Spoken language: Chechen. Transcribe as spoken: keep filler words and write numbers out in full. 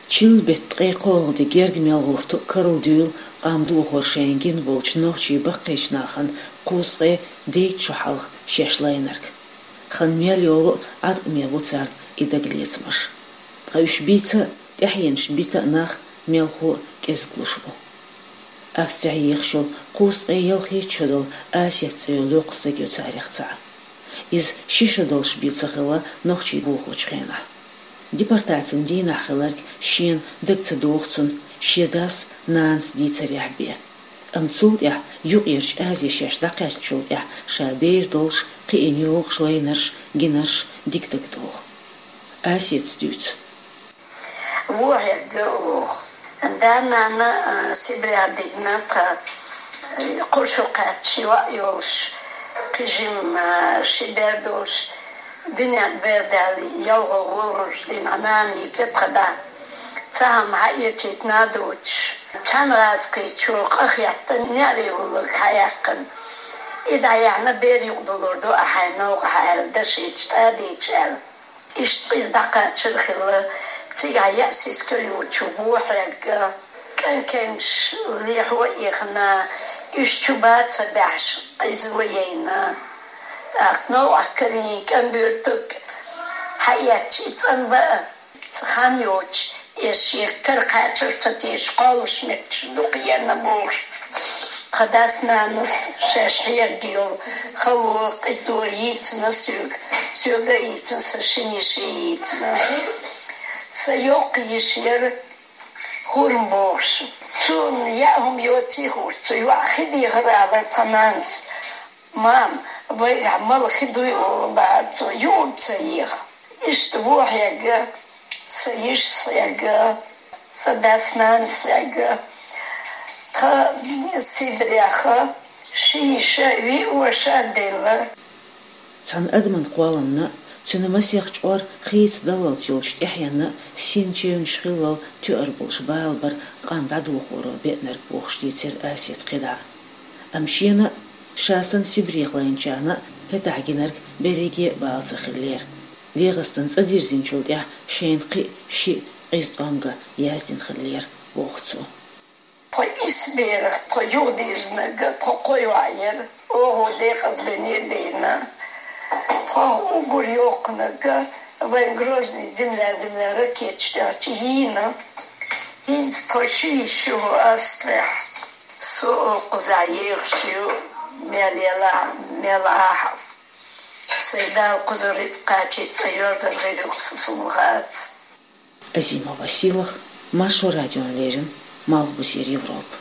Чилла бетта ткъе кхоалгӀа де герга мел гӀурту карла дуьйла къам дулхор шайна гина болчу нохчий баккхийчу нахана кхузткъе дейтта шо хьалха шаьш лайнарг. Хан мел йолу а, Ӏаткъаме бу царна и дагалецамаш. Ткъа уьш бийца а, тӀаьхьенаш бита а нах мелхо а кӀезиглуш бу. Австрехь ехаш йолу кхузткъе ялхитта шо долу Асет цӀе йолу йоккха стаг ю царех цхьаъ. Иза ши шо долуш бен ца хилла нохчий бохочу хенахь. Депортацин дийнахь хилларг шена дага ца догӀу цунна, шен дас, нанас дийцарехь бен. Амма цул тӀаьхьа Юккъерчу Азе шаьш дӀакхаьчначул тӀаьхьа ша бер долуш, кхиъна йогӀуш лайнарш, гинарш дика дага догӀу. Асетас дуьйцу. Вон хьегна оха. Да-нана, а, Сибрех дигна тхан, а, кхо шо кхаьчча йоӀ йолуш, кхин жима, а, ши бер долуш, дуьнен бер даьлла, ялхо вогӀуш дина нана йигна тхан да. Цхьа хӀума хьаэцийта а доцуш, цхьана гӀазкхичо къа хетта, неӀаре гӀуллакх хьаяьккхина. И дӀаяьхьна бер юкъадалур ду ахь хьайн новкъахь аьлла, дашийтича тӀадийча аьлла. Иштта иза дӀакхачар хилла, цигахь яа сискал йолчу вон хьегна, кӀант кемсаш лехьо а ихна, уьш чу бан ца баьхьаш, къизо яйна. ТӀаккха новкъахь карийна кӀант буьртиг хьаэцча, и цӀанбан а, хан йоцуш, иза шен кара кхачар ца тешаш, кхоллуш меттигаш дукха еана бохуш. Тхан дас-нанас шаьш хьегна йолу хало, къизо йийцина соьга, соьга а йийцина, сан шина йиша а йийцина. Сан йоккха йиша яра ХӀурма бохуш. Цунна яа хӀума йоций хууш, цу йоӀа хи дехар алара тхан нанас. Мама, вайгахь мала хи дуй олу бахьара цо, юург ца еха. Иштта вон хьегна, сан йишас хьегна, сан дас-нанас хьегна. Тхан Сибрех ши йиша, виъ ваша а делла. Цхьана адаман кхолламна а, цуьнан масех чкъор хийца даллалц йолчу тӀаьхьенна а син чевнаш хиллал тоьар болуш бала бара къам дӀадохоро беънарг бохуш дийцира Асета кхидӀа. Амма шена а, ша санна Сибрех лайначарна а хӀетахь гинарг берриге а бала ца хиллера. ДегӀастан цӀа дирзинчул тӀаьхьа шайна кхин а шиъ къиза тӀом ган яздина хиллера, боху цо. Тхо исс берах тхо юхадирзинарг тхо кхо йоӀ яра, оха декъаза дуьне а дина. Тхо уггар йоккхунарг вайн Грозный земля, земля ракеташ тӀехь чу йийна. ХӀинца тхо ши йиша ю хӀу Австрехь. Со кхузахь ехаш ю, мел елахь, мел ахьа. Сайн Дала кхузара рицкъ кхачийта цӀа йордан гӀийр ю-кх сан, суна хаац. Азима Василах, Маршо радиона леррина, Малхбузера Европа.